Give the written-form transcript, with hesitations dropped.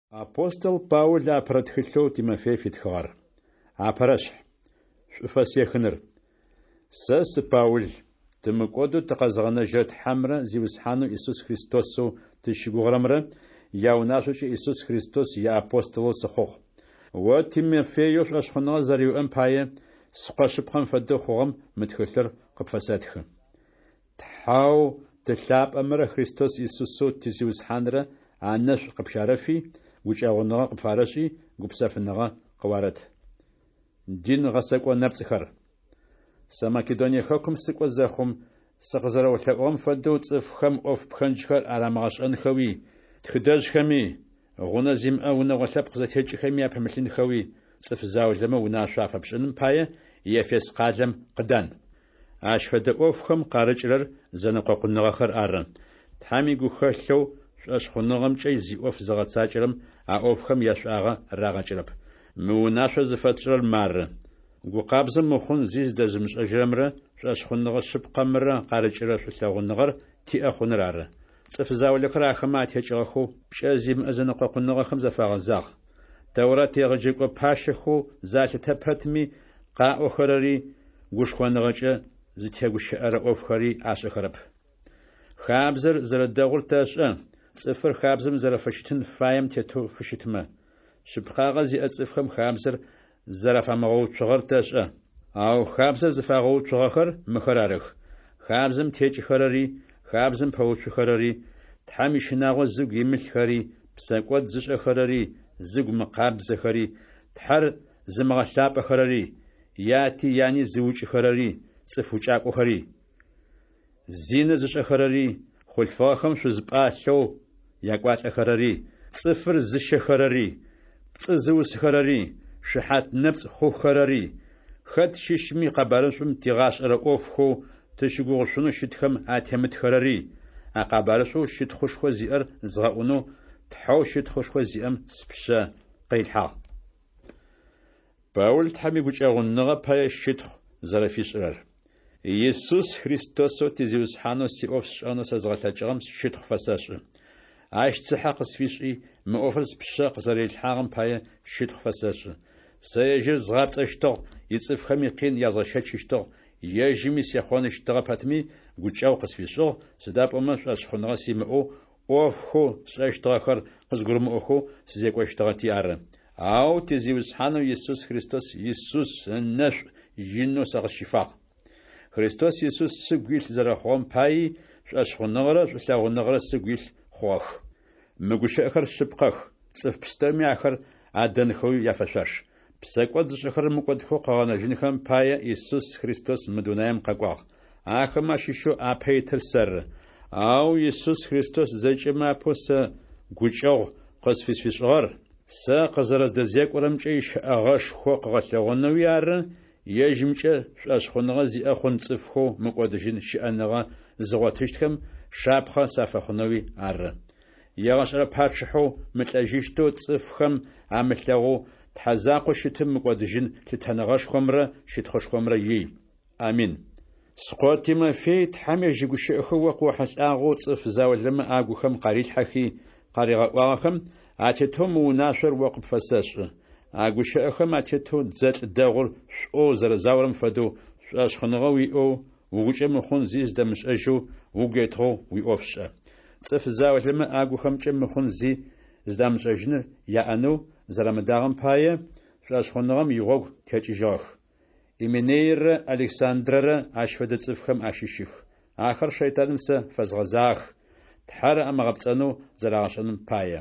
Апостол Паул апэрэ тхылъэу Тимофей фитхыгъэр. Апэрэшъхь. Шӏуфэс ехыныр. Сэ сы Паул, тымыкӏодэу тыкъэзыгъэнэжьырэ Тхьэмрэ Зиусхьанэу Исус Христосэу тызщыгугъырэмрэ яунашъокӏэ Исус Христос иапостолэу сыхъугъ. О Тимофееу шӏошъхъуныгъэ зэрэуиӏэм пае, скъо шъыпкъэм фэдэу хъугъэм мы тхылъыр къыпфэсэтхы. Тхьэу Ты лъапӏэмрэ Христос Исусэу ти Зиусхьанрэ анэшӏу къыпщарэфи, гукӏэгъуныгъэ къыпфарэшӏи, гупсэфыныгъэ къыуарэт. Дин гъэсэкӏо нэпцӏхэр. Сэ Македоние хэкум сыкӏо зэхъум, сыкъызэрэолъэӏугъэм фэдэу цӏыфхэм ӏоф пхэнджхэр арамыгъэшӏэнхэуи, тхыдэжъхэми, гъунэ зимыӏэ унэгъо лъэпкъ зэтекӏхэми апымылъынхэуи цӏыф заулэмэ унашъо афэпшӏыным пае Ефес къалэм къыдан. Ащ фэдэ ӏофхэм къарыкӏырэр зэнэкъокъуныгъэхэр ары. Тхьэм игухэлъэу шӏошъхъуныгъэмкӏэ зиӏоф зыгъэцакӏэрэм а ӏофхэм яшӏуагъэ рагъэкӏырэп. Мы унашъор зыфэтшӏырэр мары: Гу къабзэу мыхъун зи зыдэзымышӏэжьырэмрэ шӏошъхъуныгъэ шъыпкъэмрэ къарыкӏырэ шӏулъэгъуныгъэр тиӏэ хъуныр ары. Цӏыф заулэхэр ахэмэ атекӏыгъэхэу, пкӏэ зимыӏэ зэнэкъокъуныгъэхэм зафагъэзагъ. Тэурат егъэджэкӏо пащэхэу залъытэ пэтми, къаӏохэрэри гушхоныгъэкӏэ зытегущыӏэрэ ӏофхэри ашӏэхэрэп. Хабзэр зэрэдэгъур тэшӏэ, цӏыфыр хабзэм зэрэфыщытын фаем тетэу фыщытмэ. Шъыпкъагъэ зиӏэ цӏыфхэм хабзэр зэрафамыгъэуцугъэр тэшӏэ. Ау хабзэр зыфагъэуцугъэхэр мыхэр арых: хабзэм текӏыхэрэри, хабзэм пэуцухэрэри, Тхьэм ищынагъо зыгу имылъхэри, псэкӏод зышӏэхэрэри, зыгу мыкъабзэхэри, Тхьэр зымыгъэлъапӏэхэрэри, яти яни зыукӏыхэрэри, цӏыф укӏакӏохэри. Зинэ зышӏэхэрэри, хъулъфыгъэхэм шъуз пӏалъэу якӏуалӏэхэрэри, цӏыфыр зыщэхэрэри, пцӏы зыусыхэрэри, шыхьат нэпцӏ хъухэрэри, хэт щыщми къэбарышӏум тигъашӏэрэ ӏофхэу тыщыгугъышъунэу щытхэм атемытхэрэри, а къэбарышӏоу щытхъушхо зиӏэр згъэӏунэу Тхьэу щытхъушхо зиӏэм спшъэ къырилъхьагъ. Паул Тхьэм игукӏэгъуныгъэ пае щытхъу зэрэфишӏырэр. Исус Христосэу ти Зиусхьанэу сиӏоф сшӏэнэу сэзгъэлъэкӏыгъэм щытхъу фэсэшӏы. Ащ цыхьэ къысфишӏи, мы ӏофыр спшъэ къызэрэрилъхьагъэм пае щытхъу фэсэшӏы. Сэ ежьыр згъапцӏэщтыгъ, ицӏыфхэми къин язгъэщэчыщтыгъ, ежьыми сехъоныщтыгъэ пэтми, гукӏэгъу къысфишӏыгъ, сыда пӏомэ шӏошъхъуныгъэ симыӏэу, ӏофхэу сшӏэщтыгъэхэр къызгурымыӏохэу сызекӏощтыгъэти ары. Ау ти Зиусхьанэу Исус Христос Исус ынэшӏу инэу сэ къысщифагъ. Христос Исус сыгу илъ зэрэхъугъэм паий шӏошъхъуныгъэрэ шӏулъэгъуныгъэрэ сыгу илъ хъугъэх. Мы гущыӏэхэр шъыпкъэх, цӏыф пстэуми ахэр адэнхэуи яфэшъуаш. Псэкӏод зышӏэхэрэр мыкӏодхэу къыгъэнэжьынхэм пае Исус Христос мы дунаим къэкӏуагъ. Ахэмэ ащыщэу апэ итыр сэры. Ау Исус Христос зэкӏэмэ апэу сэ гукӏэгъу къызфысфишӏыгъэр, сэ къызэрэздэзекӏорэмкӏэ ищэӏэгъэшхо къыгъэлъэгъонэуи ары, ежьымкӏэ шӏошъхъуныгъэ зиӏэ хъун цӏыфхэу мыкӏодыжьын щыӏэныгъэ зыгъотыщтхэм шапхъэ сафэхъунэуи ары. Егъэшӏэрэ пачъыхьэу мылӏэжьыщтэу цӏыфхэм амылъэгъоу Тхьэ закъоу щытым мыкӏодыжьын лъытэныгъэшхомрэ щытхъушхомрэ ий. Амин. Скъо Тимофей Тхьэм ежь игущыӏэхэу о къыохьылӏагъэу цӏыф заулэмэ агухэм къарилъхьэхи къаригъэӏуагъэхэм атетэу мы унашъор о къыпфэсэшӏы. А гущыӏэхэм атетэу дзэлӏ дэгъур шӏоу зэрэзаорэм фэдэу, шӏошъхъуныгъэ уиӏэу, угукӏэ мыхъун зи зыдэмышӏэжьэу, угу етыгъэу уиӏоф шӏэ. Цӏыф заулэмэ агухэмкӏэ мыхъун зи зыдамышӏэжьыныр яӏэнэу зэрамыдагъэм пае, шӏошъхъуныгъэм игъогу текӏыжьыгъэх. Именейрэ Александрэрэ ащ фэдэ цӏыфхэм ащыщых. Ахэр шэйтаным сэ фэзгъэзагъэх, Тхьэр амыгъэпцӏэнэу зэрагъэшӏэным пае.